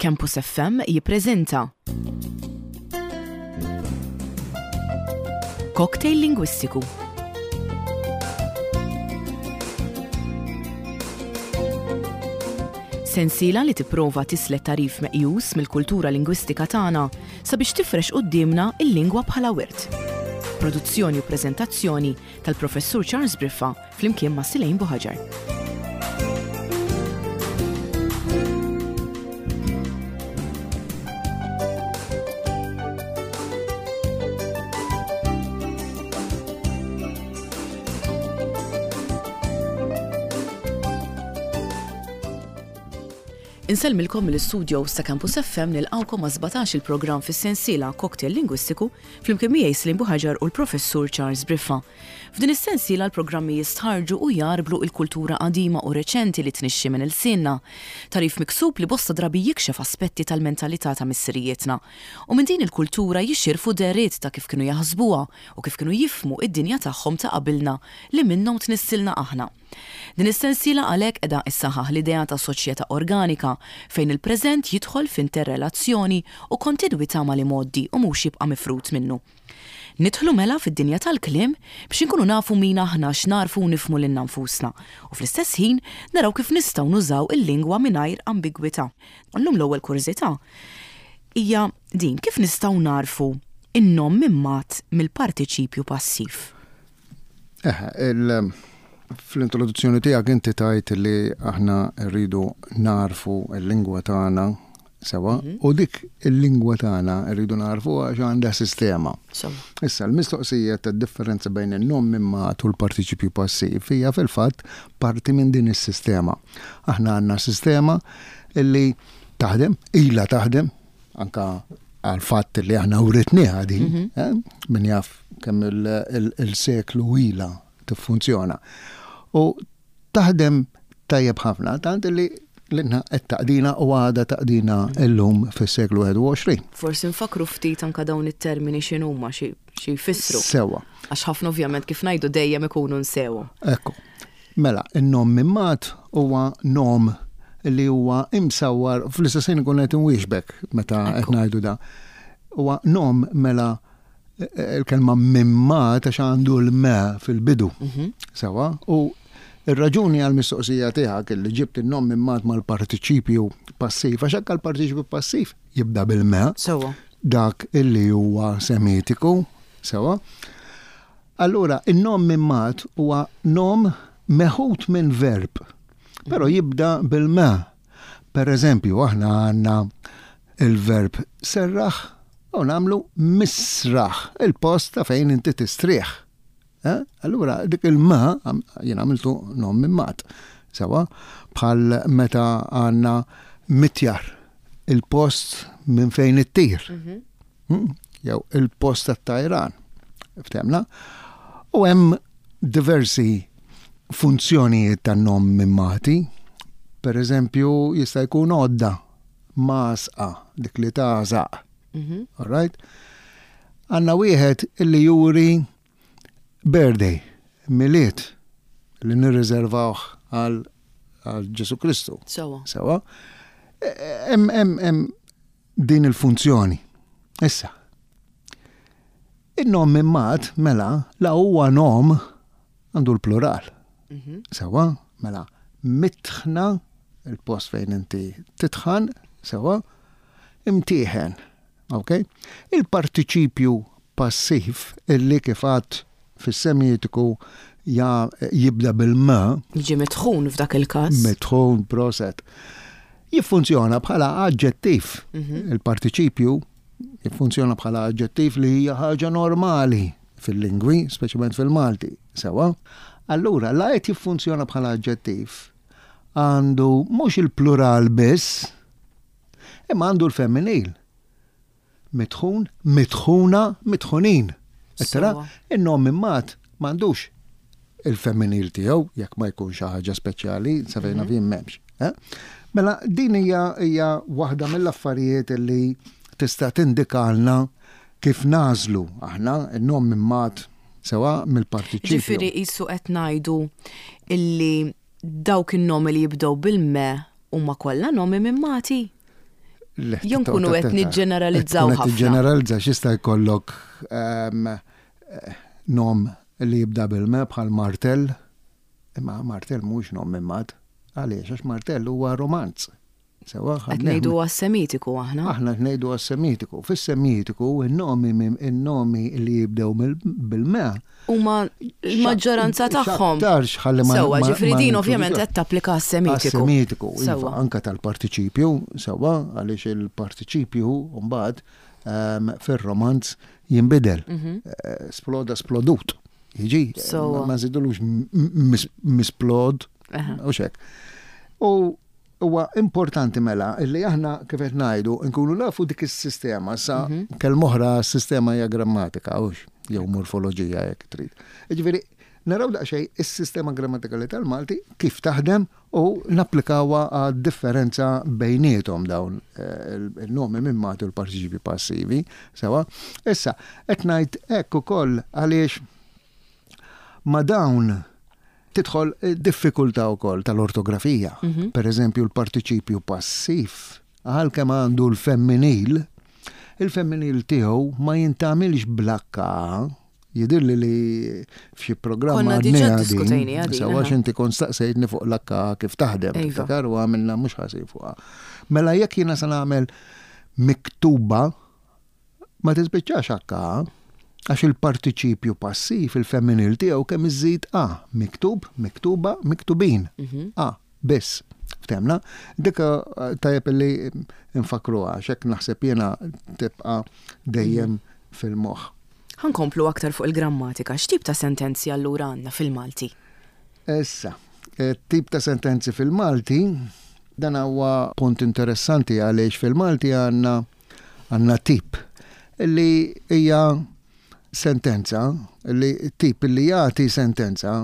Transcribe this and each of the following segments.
Campus FM jippreżenta Cocktail Lingwistiku. Sensiela li tipprova tislet tagħrif meqjus mill-kultura lingwistika tagħna sabiex tifrex quddiemna l-lingwa bħala wirt. Produzzjoni u preżentazzjoni tal-Professur Charles Briffa flimkien ma' Silejn Buħaġar. Insellmilkom mill-istudios ta' Campus FM nilqgħukom ma' 17 il-programm fis-sensiela Cocktail Lingwistiku flimkien miegħi Slim Buħaġar u l-Professur Charles Briffa. F'din is-sensiela l-programmi jistħarrġu u jgħarblu il-kultura qadima u reċenti li tnixxi minn ilsienna. Tagħrif miksub li bosta drabi jikxef aspetti tal-mentalità ta' missirijietna. U minn din il-kultura jixirfu dehriet ta' kif kienu jaħsbuha u kif kienu jifhmu id-dinja tagħhom ta' qabilna li minnhom tnissilna aħna. Din is-sensiela għalhekk qiegħda issaħħaħ l-idea ta' soċjetà organika fejn il-preżent jidħol f'interrelazzjoni u kontinwità mal-imgħoddi u mhux jibqa' mifrud minnu. Nidħlu mela fid-dinja tal-kliem biex inkunu nafu min aħna x'nagħrfu u nifhmu lilna nfusna u fl-istess ħin naraw kif nistgħu nużaw il-lingwa mingħajr ambigwità. Illum l-ewwel kurżità hija din, kif nistgħu nagħrfu n-nom immat mill-partiċipju passiv? Eħe, fl-introduzzjoni tiegħek inti tgħid li aħna rridu nagħrfu l-lingwa tagħna sewa mhm. u dik il-lingwa tagħna rridu nagħrfu għax għandha sistema. Issa l-mistoqsija tad-differenza bejn in-nom immat u l-partiċipju passiv hija fil-fatt parti minn din is-sistema. Aħna għandna sistema illi taħdem, ilha taħdem, anka għal fatt li aħna writniha din, mhm. eh, min jaf kemm il-seklu ila tiffunzjona. U taħdem tajjeb ħafna, tant li l-inna qed taqdina u għada taqdina llum fis-seklu 21. Forsi nfakru ftit anka dawn it-termini x'inhuma xi jfissru. Sewa. Għax ħafna ovvjament kif ngħidu dejjem ikunu nsewhom. Ekku. Mela, in-nom mimmat huwa nom li huwa imsawwar fl-istess ħin ikun qed inwieġbek meta qed ngħidu da. Huwa nom mela il-kelma mimmat għax għandu l-me fil-bidu. Mhm. Sewa, u ir-raġuni għal-mistoqsija tiegħek li ġibt in-nom mimmat mal-partiċipju passiv, għax anke l-partiċipju passiv jibda bil-me. Sewa. Dak illi huwa semitiku, sewa. Allura, in-nom mimmat huwa nom meħud minn verb, però jibda bil-me. Per eżempju, aħna għandna il-verb serraħ u nagħmlu misraħ, il-post ta' fejn inti tistrieħ. Eh? Allura, dik il-ma, jien għamiltu nom mimmat. Sewa, bħal meta għandna mitjar, il-post minn fejn ittir. Mhm. Hmm? Jew il-post tat-tajran. Ftemna? U hemm diversi funzjonijiet tan-nom mimmati. Per eżempju, jista' jkun għodda, masqa, dik li tagħżaq. Mhm. All right? Għanna wieħed illi juri birthday, milied, li nirriservawh għal Ġesu Kristu. Sewa. Sewa. Hemm hemm din il-funzjoni. Issa, in-nom immat mela la huwa nom għandu l-plural. Mhm. Sewa, mela mitħna il-post fejn inti titħan, sewa, imtieħen. Ok? Il-partiċipju passiv illi kif għad fis-semitiku ja jibda bil-m. Jiġi mitħun f'dak il-każ. Mitħun, proset. Jiffunzjona bħala aġġettiv. Mhm. Il-partiċipju jiffunzjona bħala aġġettiv li hija ħaġa normali fil-lingwi, speċjalment fil-Malti. Sewa. Allura, la qed jiffunzjona bħala aġġettiv, għandu mhux il-plural biss, imma għandu l-femminil. Mitħun, mitħuna, mitħunin. Qed tara? In-nom immat m'għandux il-femminil tiegħu jekk ma jkun xi ħaġa speċjali, sa fejn naf jien m'hemmx. Eh? Mela din hija hija waħda mill-affarijiet li tista' tindikalna kif nagħżlu aħna n-nom immat sewa mill-partiċipju. Ġifieri qisu qed ngħidu illi dawk in-nomi li jibdew bil-me huma kollha nomi mimmati? Jew nkunu qed niġġeneralizzaw ħafna. Niġġeneralizza x'jista' jkollok ehm, nom li jibda bil-me bħal martell, imma martell mhux nom mimmat. Għaliex? Għax martell huwa romanz. Sewa, Qed ngħidu għas-Semitiku aħna. Aħna qed ngħidu għas-Semitiku. Fis-Semitiku in-nomi in-nomi li jibdew bil-me. Huma l-maġġoranza tagħhom. X'aktarx ħalli ma. Sewwa, ġifieri din ovvjament qed tapplika għas-Semitiku. Għas-Semitiku, iva, anke tal-partiċipju, sewwa, għaliex il-partiċipju mbagħad ehm, fir-romanz jinbidel. Mhm. Eh, sploda splodut. Jiġi, ma nżidulux misplod, u xek. U Huwa importanti mela illi aħna kif qed ngħidu nkunu nafu dik is-sistema sa mhm. kelma oħra s-sistema hija grammatika hux jew morfoloġija jekk trid. Jiġifieri naraw daqsxejn is-sistema grammatikali tal-Malti kif taħdem u napplikawha għad-differenza bejniethom dawn eh, il-nomi minn matu l-partiċipi passivi. Sewa, issa qed ngħid hekk ukoll għaliex ma dawn Tidħol diffikultà wkoll tal-ortografija. Mhm. Per eżempju, l-partiċipju passiv, għalkemm għandu l-femminil, il-femminil tiegħu ma jintgħamilx bl-H, jidhirli li f'xi programm Konna diġà ddiskutejniha din. Sewa għax inti kont staqsejtni fuq l-H kif taħdem, iva. tiftakar u għamilna mhux ħażin fuqha. Mela jekk jiena se nagħmel miktuba Ma tispiċċax H, għax il-partiċipju passiv il-femminil tiegħu kemm iżżid A, miktub, miktuba, miktubin. Mhm. A, biss. Ftemna? Dik eh, tajjeb li nfakruha għax hekk naħseb jiena tibqa' dejjem mhm. fil-moħħ. Ħankomplu aktar fuq il-grammatika. X'tip ta' sentenzi allura għandna fil-Malti? Issa, eh, tip ta' sentenzi fil-Malti, dan huwa punt interessanti għaliex fil-Malti għandna Għandna tip li hija sentenza, li tip li jagħti sentenza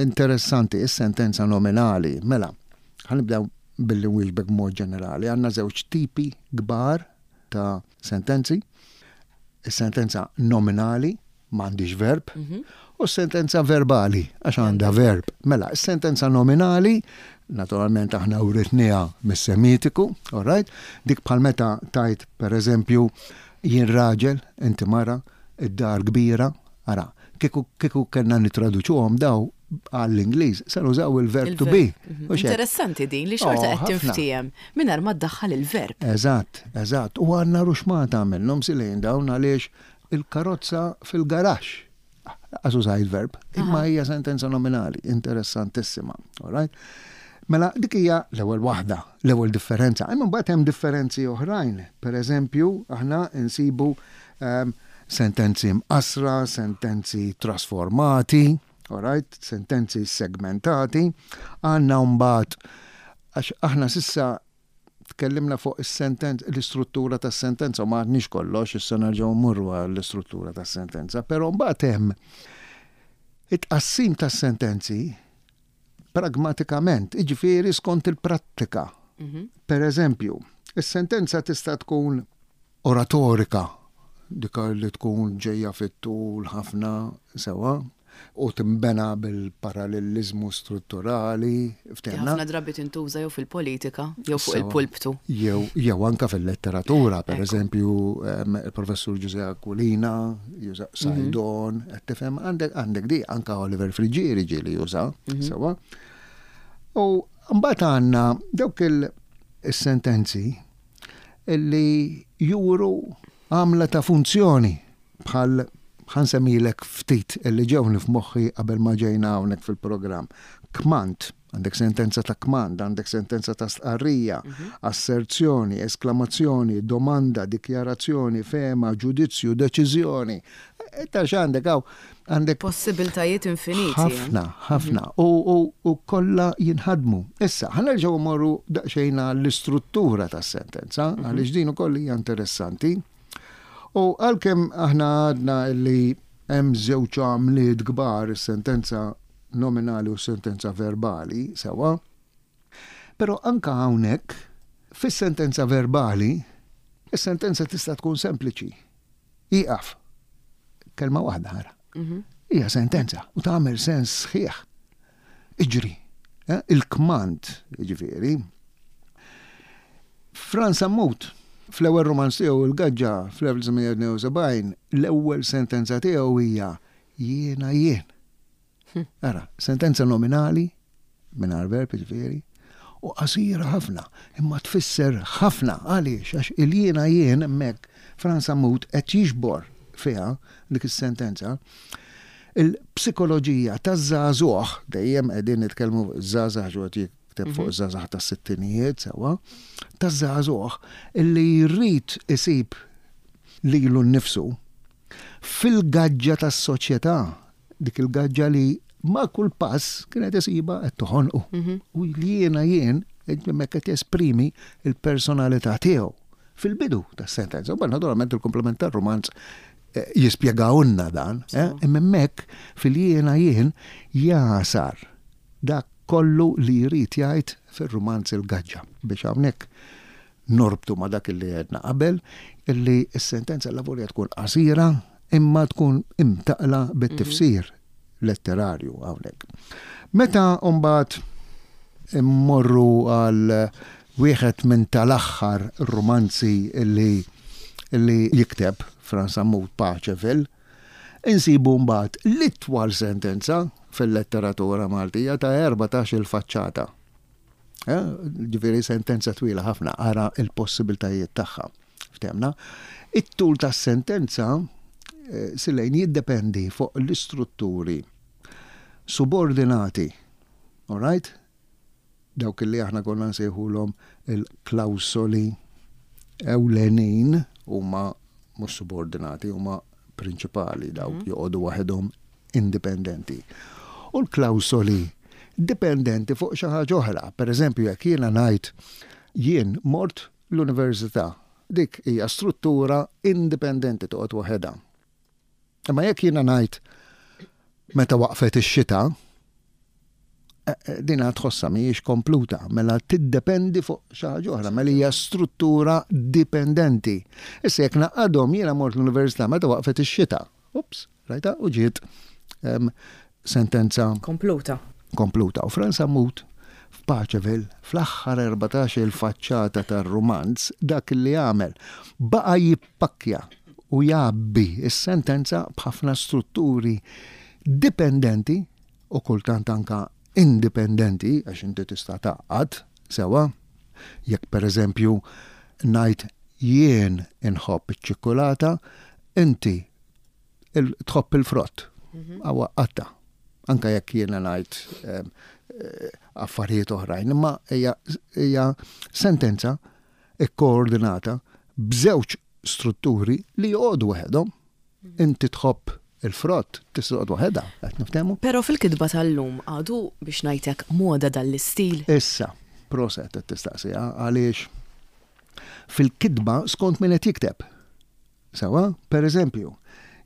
interessanti, is-sentenza nominali. Mela, ħanibdew billi nwieġbek b'mod ġenerali. Għandna żewġ tipi kbar ta' sentenzi. Is-sentenza nominali, m'għandix verb, mhm. u sentenza verbali, għax għandha verb. Mela, sentenza nominali, naturalment aħna uritniha mis-semitiku, all right? Dik bħal meta tajt, per eżempju, jien raġel, inti mara, id-dar kbira, ara, kieku kieku kellna nitraduċuhom daw għall-Ingliż, se nużaw il-verb to be. Mhm. Interessanti din li xorta oh, qed tinftiehem mingħajr ma ddaħħal il-verb. Eżatt, eżatt. U għandna ruxmata minnhom silejn dawn għaliex Il-karozza fil-garaxx. Lanqas użajt verb, imma hija sentenza nominali, interessantissima. All right? Mela dik hija l-ewwel waħda, l-ewwel differenza. Imma mbagħad hemm differenzi oħrajn. Per eżempju, aħna nsibu ehm, sentenzi mqassra, sentenzi trasformati, all right? sentenzi segmentati. Għandna mbagħad għax aħna sissa Tkellimna fuq is-sentenza, l-istruttura tas-sentenza, u ma għadniex kollox, issa nerġgħu mmorru għall-istruttura tas-sentenza, però mbagħad hemm it-tqassim tas-sentenzi pragmatikament, jiġifieri skont il-prattika. Mhm. Per eżempju, is-sentenza tista' tkun oratorika, dik li tkun ġejja fit-tul ħafna sewwa, u tinbena bil-paralleliżmu strutturali, ftehimna? Ħafna drabi tintuża jew fil-politika jew fuq il-pulptu. Jew jew anke fil-letteratura, per eżempju, il-professur Ġużè Aquilina juża mhm. Sajdon, qed tifhem għandek għandek di anke Oliver Friggieri ġieli juża, mhm. sewwa. U mbagħad għandna dawk il-sentenzi illi juru għamla ta' funzjoni bħal ħa nsemmilek ftit illi ġewni f'moħħi qabel ma ġejna hawnhekk fil-programm. Kmand, għandek sentenza ta' kmand, għandek sentenza ta' stqarrija, mhm. asserzjoni, esklamazzjoni, domanda, dikjarazzjoni, fehma, ġudizzju, deċiżjoni. Ta' x'għandek hawn għandek possibiltajiet infiniti. Eh? Ħafna, ħafna. Mhm. U kollha jinħadmu. Issa, ħa nerġgħu mmorru daqsxejn l-istruttura tas-sentenza, mhm. għaliex din ukoll hija interessanti. U għalkemm aħna għadna li hemm żewġ għamliet kbar is-sentenza nominali u s-sentenza verbali, sewwa, però anke hawnhekk fis-sentenza verbali, is-sentenza tista' tkun sempliċi. Ieqaf. Kelma waħda ara. Mhm. Hija sentenza u tagħmel sens sħiħ. Iġri. Eh, il-kmand, jiġifieri. Franz Sammut. Fl-ewwel rumanz tiegħu Il-Gaġġa fl-1972, l-ewwel sentenza tiegħu hija jiena jien. Ara, sentenza nominali, mingħajr verb jiġifieri, u qasira ħafna, imma tfisser ħafna. Għaliex? Għax il-jiena jien hemmhekk Frans Sammut qed jiġbor fiha dik is-sentenza il-psikoloġija taż-żagħżugħ, dejjem qegħdin nitkellmu fuq iż-żgħażagħ għax qed jikteb fuq iż-żgħażagħ tas-sittinijiet sewwa, taż-żagħżugħ illi jrid isib lilu nnifsu fil-gaġġa tas-soċjetà, dik il-gaġġa li ma' kull pass kienet isibha qed toħonqu. Mhm. U li jiena jien hemmhekk qed jesprimi l-personalità tiegħu fil-bidu tas-sentenza. U naturalment il-komplement tar-rumanz eh, jispjegawlna dan, eh, imma hemmhekk fil-jiena jien jasar dak kollu li jrid jgħid fir-rumanz il-gaġġa biex hawnhekk Norbtu ma' dak li għedna qabel, illi s-sentenza lavorja tkun qasira imma tkun imtaqqla bit-tifsir letterarju hawnhekk. Meta mbagħad immorru għal wieħed minn tal-aħħar rumanzi li li jikteb Frans Sammut Paceville, insibu mbagħad l-itwal sentenza fil-letteratura Maltija ta' 14-il faċċata. Eh, ġifieri sentenza twila ħafna, ara il-possibiltajiet tagħha. Ftemna. It-tul tas-sentenza eh, silejn jiddependi fuq l-istrutturi subordinati. All right? Dawk li aħna konna nsejħulhom il-klawsoli ewlenin huma mhux subordinati, huma prinċipali dawk mhm. joqogħdu waħedhom indipendenti. U l-klawsoli dipendenti fuq xi ħaġa oħra. Per eżempju, jekk jiena ngħid jien mort l-università, dik hija struttura indipendenti toqgħod waħedha. Imma jekk jiena ngħid meta waqfet ix-xita, eh, eh, dina tħossha mhijiex kompluta, mela tiddependi fuq xi ħaġa oħra, mela hija struttura dipendenti. Issa jekk naqadhom jiena mort l-università meta waqfet ix-xita. Ups, rajta u ġiet sentenza kompluta. Kompluta. U Franz Sammut f'Paceville fl-aħħar 14 il-faċċata tar-rumanz dak li għamel baqa' jippakkja u jgħabbi s-sentenza b'ħafna strutturi dipendenti u kultant anka indipendenti għax inti tista' tgħaqqad sewwa. Jekk pereżempju ngħid jien inħobb iċ-ċikkulata, inti tħobb il-frott. Mhm. Għawa qatta. Anka jekk jiena ngħid ehm, eh, affarijiet oħrajn, imma hija sentenza ikkoordinata b'żewġ strutturi li joqogħdu waħedhom. Mhm. Inti tħobb il-frott tista' toqgħod waħedha, qed niftehmu. Però fil-kitba tal-lum għadu biex ngħidlek moda dan l-istil. Issa, proset qed tistaqsiha għaliex fil-kitba skont min qed jikteb. Sewwa? Per eżempju,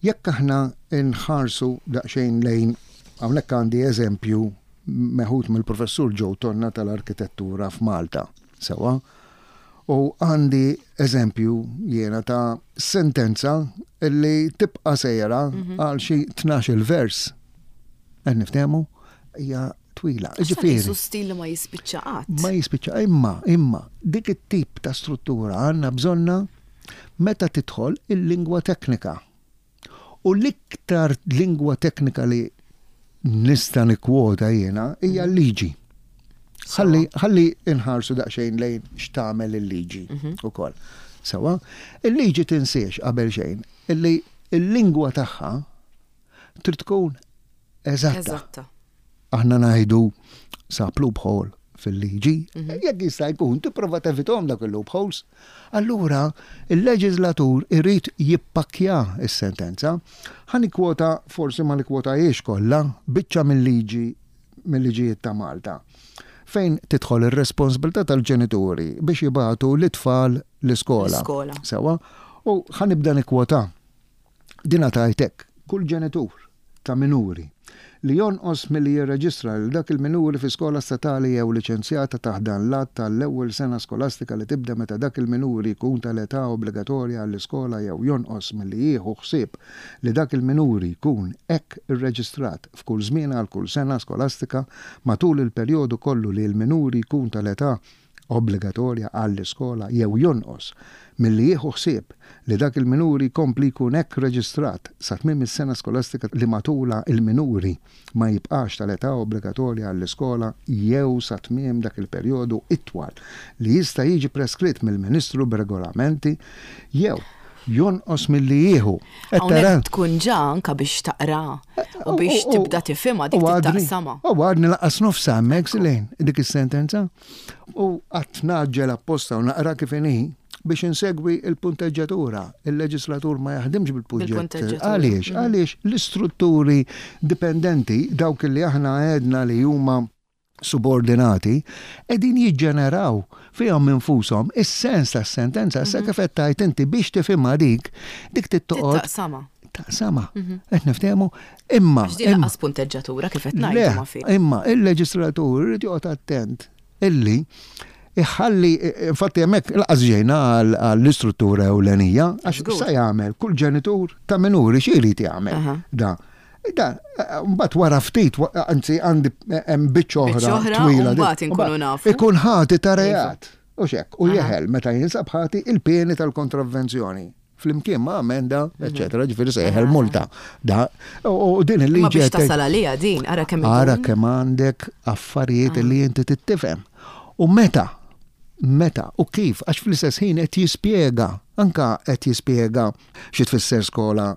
jekk aħna nħarsu daqsxejn lejn, hawnhekk għandi eżempju meħud mill-Professur Joe Tonna tal-Arkitettura f'Malta, sewwa? U għandi eżempju jiena ta' sentenza li tibqa' sejra mhm. għal xi 12 vers. Qed niftehmu? Hija twila. Ġifieri. Su stil li ma jispiċċa qatt. Ma jispiċċa imma, imma dik it-tip ta' struttura għandna bżonna meta tidħol il-lingwa teknika. U l-iktar lingwa teknika li nista' nikkwota jiena hija mhm. l-liġi. Ħalli ħalli inħarsu daqsxejn lejn x'tagħmel il-liġi mhm. ukoll. Sewa, il-liġi tinsiex qabel xejn illi il-lingwa tagħha trid tkun eżatta. Eżatta. Aħna ngħidu sab loophole fil-liġi, mhm. jekk jista' jkun tipprova tevitom dak il-loopholes. Allura il-leġislatur irid jippakkja s-sentenza. Ħa nikkwota forsi ma nikkwotahiex kollha biċċa mill-liġi mill-liġijiet ta' Malta fejn tidħol ir-responsabilità tal-ġenituri biex jibagħtu l-itfal l-iskola. Sewa, u ħa nibda nikkwota. Din tgħid hekk, Kull ġenitur ta' minuri li jonqos milli jirreġistra lil dak il-minuri fi skola statali jew liċenzjata taħt dan l-Att għall-ewwel sena skolastika li tibda meta dak il-minuri jkun tal-età obbligatorja għall-iskola jew jonqos milli jieħu ħsieb li dak il-minuri jkun hekk irreġistrat f'kull żmien għal kull sena skolastika matul il-perjodu kollu li l-minuri jkun tal-età. obbligatorja għall-iskola jew jonqos milli jieħu ħsieb li dak il-minuri jkompli jkun hekk reġistrat sa tmiem is-sena skolastika li matulha l-minuri ma jibqax tal-età obbligatorja għall-iskola jew sa tmiem dak il-perjodu itwal li jista' jiġi preskritt mill-Ministru b'regolamenti jew jonqos milli jieħu. Qed tara? Hawnhekk tkun ġa anke biex taqra u biex tibda tifhimha dik taqsamha. U għadni laqas nofsha hemmhekk Silene, dik is-sentenza. U qatt ngħaġġel apposta u naqra kif inhi biex insegwi l-punteġġatura. Il-leġislatur ma jaħdimx bil-punteġġatura. Għaliex? Għaliex l-istrutturi dipendenti, dawk li aħna għedna li huma subordinati, qegħdin jiġġeneraw fihom infushom is-sens tas-sentenza. Issa kif qed tgħid inti biex tifhimha dik, dik trid toqgħod. Taqsamha. Taqsamha. Qed niftehmu? Imma. Għax din lanqas punteġġatura kif qed ngħidu ma fi. Imma il-leġislatur irid joqgħod attent illi iħalli, infatti hemmhekk laqas ġejna għall-istruttura ewlenija, għax sa jagħmel kull ġenitur ta' minuri xi jrid jagħmel da. Da, mbagħad wara ftit, anzi għandi hemm biċċa oħra twila. Mbagħad inkunu nafu. Ikun ħati ta' iva. reat. U xek, u jeħel meta jinsab ħati il-pieni tal-kontravvenzjoni flimkien ma' amenda, mhm. eccetera, ġifieri se jeħel multa. Da, u din il-liġi. Ma biex tasal għalija din, ara kemm. Ara kemm għandek affarijiet li inti tittifhem. U meta, meta u kif, għax fl-istess ħin qed jispjega, anka qed jispjega xi tfisser skola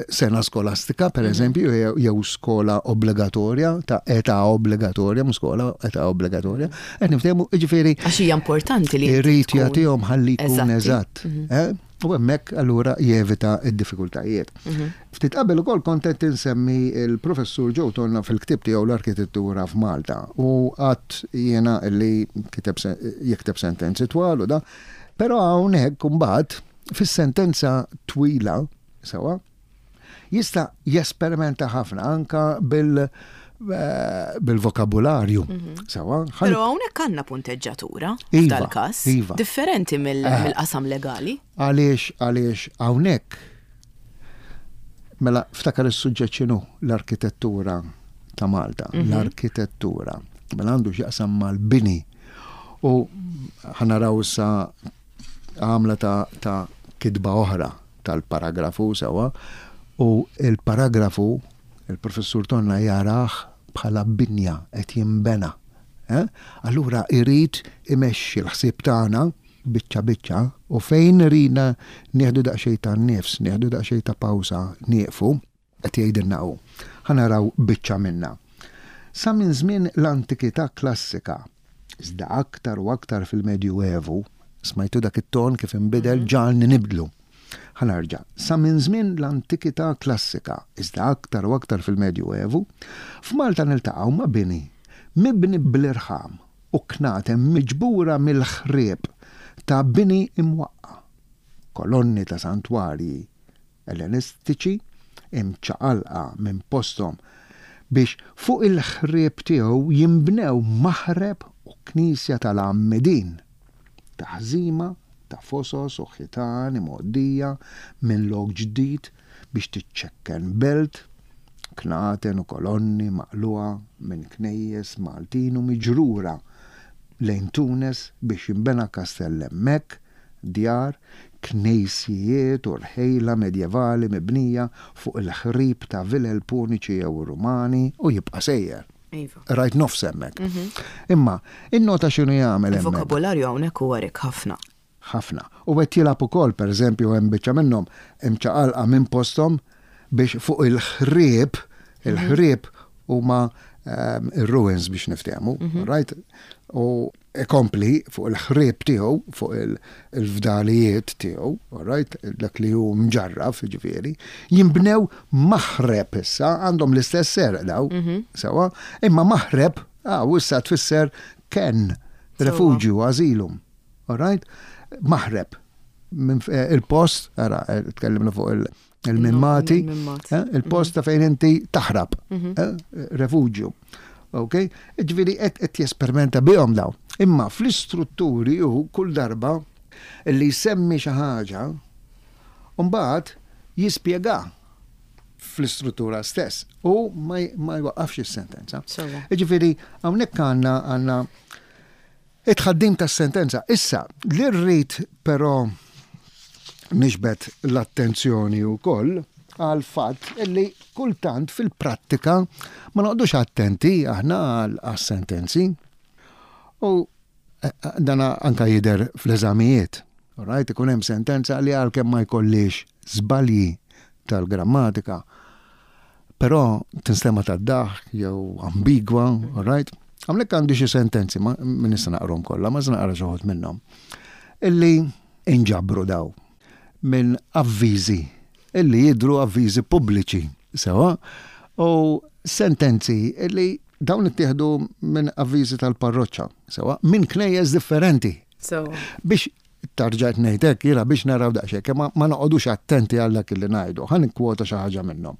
sena skolastika, per mhm. eżempju, jew skola obbligatorja, ta' età obbligatorja, mhux skola, età obbligatorja, qed niftehmu, jiġifieri. Għax hija importanti li. Irid jagħtihom ħalli jkun eżatt. Mhm. Eh? U hemmhekk allura jevita d-diffikultajiet. Mhm. Ftit qabel ukoll kont qed insemmi il-professur Joe Tonna fil-ktieb tiegħu l-arkitettura f'Malta u għadt jiena li kiteb jikteb sentenzi twal u da. Però hawnhekk imbagħad fis-sentenza twila sewwa jista' jesperimenta ħafna anka bil eh, bil-vokabularju. Mhm. Sewa. Però hawnhekk għandna punteġġatura iva, f'dal-każ. Iva. Differenti eh. mill-qasam legali. Għaliex għaliex hawnhekk mela ftakar is-suġġett x'inhu l-arkitettura ta' Malta, mhm. l-arkitettura. Mela għandu x'jaqsam mal-bini. U ħanaraw issa għamla ta', ta kitba oħra tal-paragrafu sewwa u l-paragrafu il-Professur Tonna jarah bħala binja qed jinbena. Eh? Allura irid imexxi l-ħsieb tagħna biċċa biċċa u fejn irina nieħdu daqsxejn ta' nifs, nieħdu daqsxejn ta' pawsa, nieqfu, Qed jgħidilna hu. Ħa naraw biċċa minnha. Sa minn żmien l-antikità klassika, iżda aktar u aktar fil-Medjuevu, smajtu dak it-ton kif inbidel ġagħalni nibdlu. Ħa nerġa'. Sa minn żmien l-antikità klassika, iżda aktar u aktar fil-Medjuevu, f'Malta niltaqgħu ma' bini mibni bl-irħam u knaten miġbura mill-ħrieb ta' bini imwaqqa', kolonni ta' santwarji, Ellenistiċi imċaqalqa minn posthom biex fuq il-ħrieb tiegħu jinbnew maħreb u knisja tal-għammidin, taħżima ta' fosos u ħitan imgħoddija minn lok ġdid biex tiċċekken belt, knaten u kolonni maqlugħa minn knejjes Maltin u miġrura lejn Tunes biex jinbena kastell hemmhekk, djar, knejsjijiet u rħejla medjevali mibnija fuq il-ħrib ta' vilel Puniċi jew Rumani u jibqa' sejjer. Iva. Rajt nofs hemmhekk. Imma, innota x'inhu jagħmel hemmhekk. Il-vokabularju hawnhekk huwa rikk ħafna. Ħafna. U qed jilgħab ukoll, pereżempju, hemm biċċa minnhom imċaqalqa minn posthom biex fuq il-ħrieb, il-ħrieb huma ir-ruins biex niftehmu, right? U ikompli fuq il-ħrieb tiegħu, fuq il-fdalijiet tiegħu, all right, dak li hu mġarraf, ġifieri, jinbnew maħreb issa, għandhom l-istess serq daw, mhm. sewa, imma maħreb, ah, u issa tfisser ken, refuġju, azilum, all right, maħreb, eh, il-post, ara, eh, tkellimna fuq il- il-mimmati, eh, il-post ta' fejn inti taħrab, mhm. eh, refuġju. Ok? Ġifieri qed jesperimenta bihom daw. Imma fl-istrutturi hu kull darba li jsemmi xi ħaġa, mbagħad jispjega fl-istruttura stess u ma jwaqqafx is-sentenza. Ġifieri hawnhekk għandna għandna. It-tħaddim tas-sentenza. Issa, li rrid però niġbed l-attenzjoni wkoll għall-fatt li kultant fil-prattika ma noqogħdux attenti aħna għas-sentenzi. U dan anka jidher fl-eżamijiet. Right, ikun hemm sentenza li għalkemm ma jkollix żbalji tal-grammatika, però tinstema' tad-daħk jew ambigwa, all right? Hawnhekk għandi xi sentenzi, ma nista' naqrahom kollha, ma se naqra xi wħud minnhom. Illi inġabru daw minn avviżi illi jidhru avviżi pubbliċi, sewa, u sentenzi illi dawn ittieħdu minn avviżi tal-parroċċa, sewa, minn knejjes differenti. Sewa. Biex tarġa' qed ngħid hekk jiena biex naraw daqsxejn kemm ma noqogħdux attenti għal dak li ngħidu. Ħa nikkwota xi ħaġa minnhom.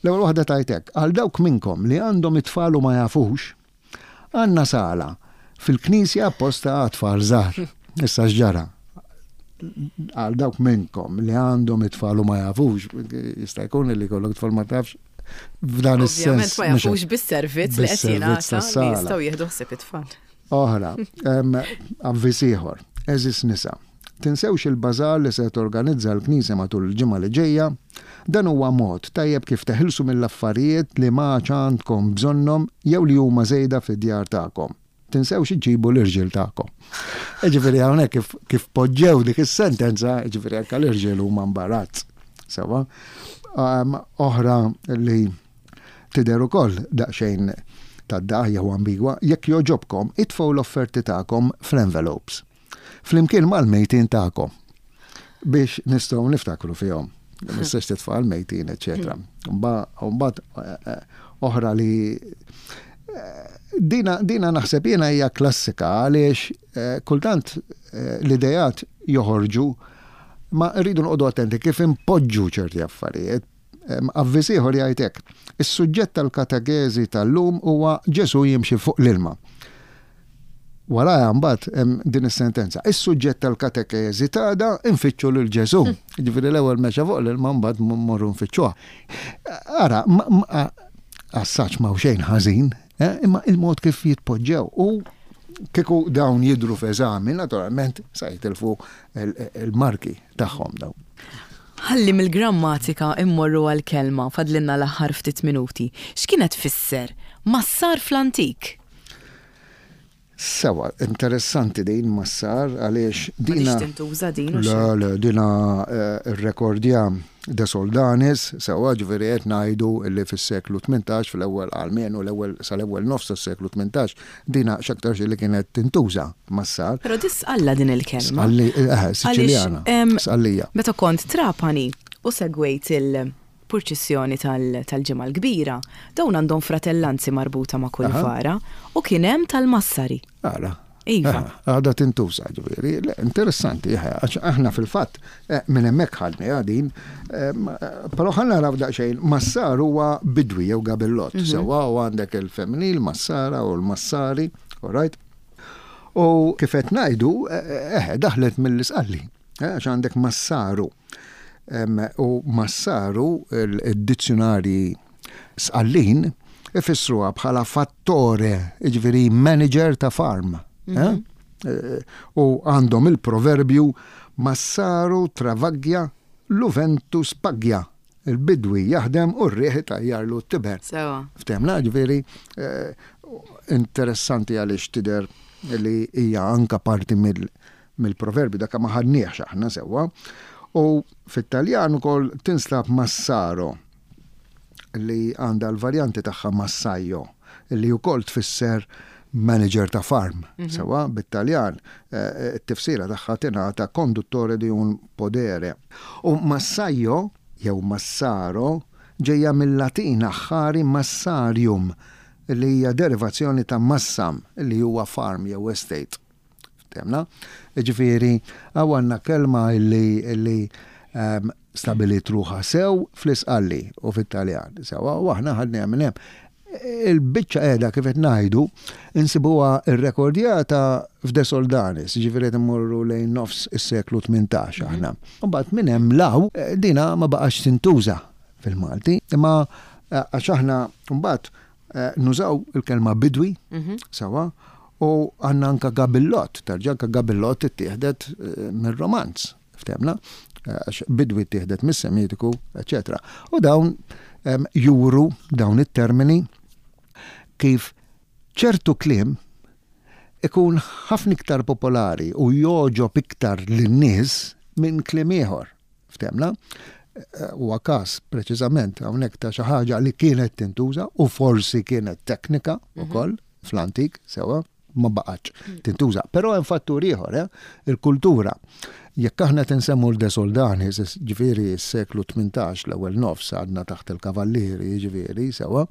L-ewwel waħda tgħid hekk, għal dawk minnkom li għandhom it-tfal u ma jafux, għandna sala fil-knisja apposta għat-tfal żgħar. Issa x'ġara? Għal dawk minnkom li għandhom it-tfal u ma jafux, jista' jkun li jkollok tfal ma tafx f'dan is-sens. Ovvjament ma jafux bis-servizz li qed jingħata li jistgħu jieħdu ħsieb it-tfal. Oħra, avviż ieħor, għeżież nisa, tinsewx il-bazaar li se torganizza l-Knisja matul il-ġimgħa li ġejja. Dan huwa mod tajjeb kif teħilsu mill-affarijiet li m'għadx għandkom bżonnhom jew li huma żejda fid-djar tagħkom. Tinsewx iġġibu l-irġiel tagħkom. Jiġifieri hawnhekk kif, kif poġġew dik is-sentenza, jiġifieri anke l-irġiel huma mbarazz. Sewwa. Oħra li Tidher ukoll daqsxejn tad-dagħa jew ambigwa, jekk jogħġobkom itfgħu l-offerti tagħkom fl-envelopes, flimkien mal-mejtin tagħkom, biex nistgħu niftakru fihom. Ma tistax titfa' l-mejtin, eċċetera. Mbagħad oħra li dina, dina naħseb jiena hija klassika għaliex kultant l-idejat joħorġu ma rridu noqogħdu attenti kif impoġġu ċerti affarijiet. Avviż ieħor jgħid hekk, Is-suġġett tal-katekeżi tal-lum huwa Ġesù jimxi fuq l-ilma. Warajha mbagħad hemm din is-sentenza, Is-suġġett tal-katekeżi t'għada nfittxu lil Ġesù. Jiġifieri l-ewwel mexa fuq l-ilma mbagħad mmorru nfittxuha. Ara, as such m'hawn xejn ħażin, eh, imma il-mod kif jitpoġġew u kieku dawn jidhru f'eżami, naturalment sa jitilfu il-marki tagħhom dawn. Ħalli mill-grammatika immorru għall-kelma, fadlilna l-aħħar ftit minuti. X'kienet tfisser massar fl-antik? Sewa, interessanti din massar għaliex dina. M'għadhiex tintuża din u Le, le, dina rrekordja De Soldanis, sewwa, ġifieri qed ngħidu li fis-seklu 18, fl-ewwel almenu l-ewwel sal-ewwel nofs tas-seklu 18, dina x'aktarx li kienet tintuża massar. Però di Sqalla din il-kelma. Sqalli, eh, Siċiljana. Sqallija. Meta kont Trapani u segwejt il-purċissjoni tal-Ġimgħa l-Kbira, dawn għandhom fratellanzi marbuta ma' kull vara u kien hemm tal-Massari. Ara. Iva. Għadha tintuża, ġifieri. Interessanti, għax aħna fil-fatt eh, minn hemmhekk ħadniha din, eh, però ħa naraw daqsxejn, massar huwa bidwi jew gabillott, mhm. sewwa u għandek il-femminil massara u l-massari, all right? U kif qed ngħidu, eh, daħlet mill-isqalli, għax għandek massaru. U massaru il-dizzjunarji Sqallin ifissruha bħala fattore, jiġifieri manager ta' farm. Mhm. Eh? Eh, u għandhom il-proverbju massaru travaglia lu ventu spaglia. Il-bidwi jaħdem u r-riħ itajjarlu t-tiben. Sewa. Ftemna, ġifieri, eh, interessanti għaliex tidher li hija anka parti mill-proverbju dak ma ħadniehx aħna sewwa. U fit-Taljan ukoll tinstab massaro li għandha l-varjanti tagħha massaio, li wkoll tfisser manager ta' farm, mhm. sewa bit-Taljan, eh, it-tifsira tagħha tingħata conduttore di un podere. U massaio jew massaro ġejja mill-Latin aħħari massarium li hija derivazzjoni ta' massam li huwa farm jew estate. Ftemna? Ġifieri, hawn għandna kelma illi illi ehm, stabilit ruħha sew fl-Isqalli u fit-Taljan. Sewa, u aħna ħadniha minn hemm. Il-biċċa qiegħda kif qed ngħidu, insibuha rrekordjata f'De Soldanis, ġifieri qed immorru lejn nofs is-seklu 18 aħna. Imbagħad minn hemm 'l hawn dina ma baqgħetx tintuża fil-Malti, imma eh, għax aħna mbagħad eh, nużaw il-kelma bidwi, mhm. sewa, U għandna anka gabillott, terġa' anka gabillott ittieħdet eh, mir-Romanz, ftehmna, eh, għax bidwi ttieħdet mis-Semitiku, eċetera. U dawn juru dawn it-termini kif ċertu kliem ikun ħafna iktar popolari u jogħġob iktar lin-nies minn kliem ieħor. Ftehmna? Huwa każ preċiżament hawnhekk ta' xi ħaġa li kienet tintuża u forsi kienet teknika mhm. ukoll fl-antik sewwa ma baqgħetx mm. tintuża. Però hemm fattur ieħor, eh? il-kultura. Jekk aħna tinsemmu l-De Soldani, ġifieri s-seklu 18 l-ewwel nofs għadna taħt il-kavallieri, ġifieri sewwa,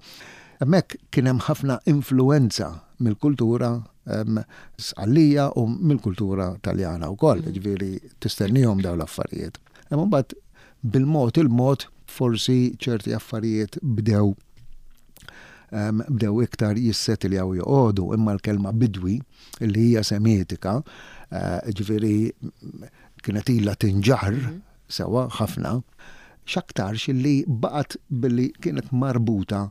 hemmhekk kien hemm ħafna influenza mill-kultura Sqallija u mill-kultura Taljana wkoll, mm. ġifieri tistennihom dawn l-affarijiet. Imma mbagħad bil-mod il-mod forsi ċerti affarijiet bdew bdew iktar jissetiljaw joqogħdu imma l-kelma bidwi li hija semitika, eh, ġifieri kienet ilha tinġarr mm. sewwa ħafna, x'aktarx li baqgħet billi kienet marbuta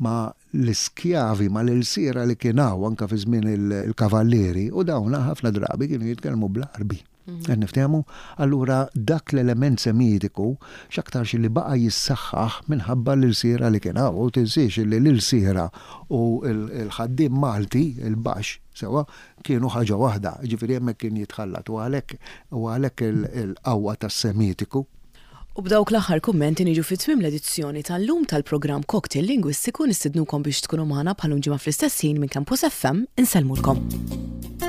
ma' l-iskjavi, ma' l-ilsiera li kien hawn anke fi żmien il-kavallieri u dawn ħafna drabi kienu jitkellmu bl-Għarbi. Mhm. Qed niftehmu? Allura dak l-element semitiku x'aktarx li baqa' jissaħħaħ minħabba l-ilsiera li kien hawn. U tinsiex li l-ilsiera u l-ħaddiem Malti, il-baxx, sewwa, kienu ħaġa waħda, jiġifieri hemmhekk kien jitħallat u għalhekk u għalhekk il-qawwa tas-Semitiku. U b'dawk l-aħħar kummenti niġu fi tmiem l-edizzjoni tal-lum tal-programm Cocktail Lingwistiku nistidnukom biex tkunu magħna bħal-lum ġimgħa fl-istess ħin minn Campus FM insellmulkom.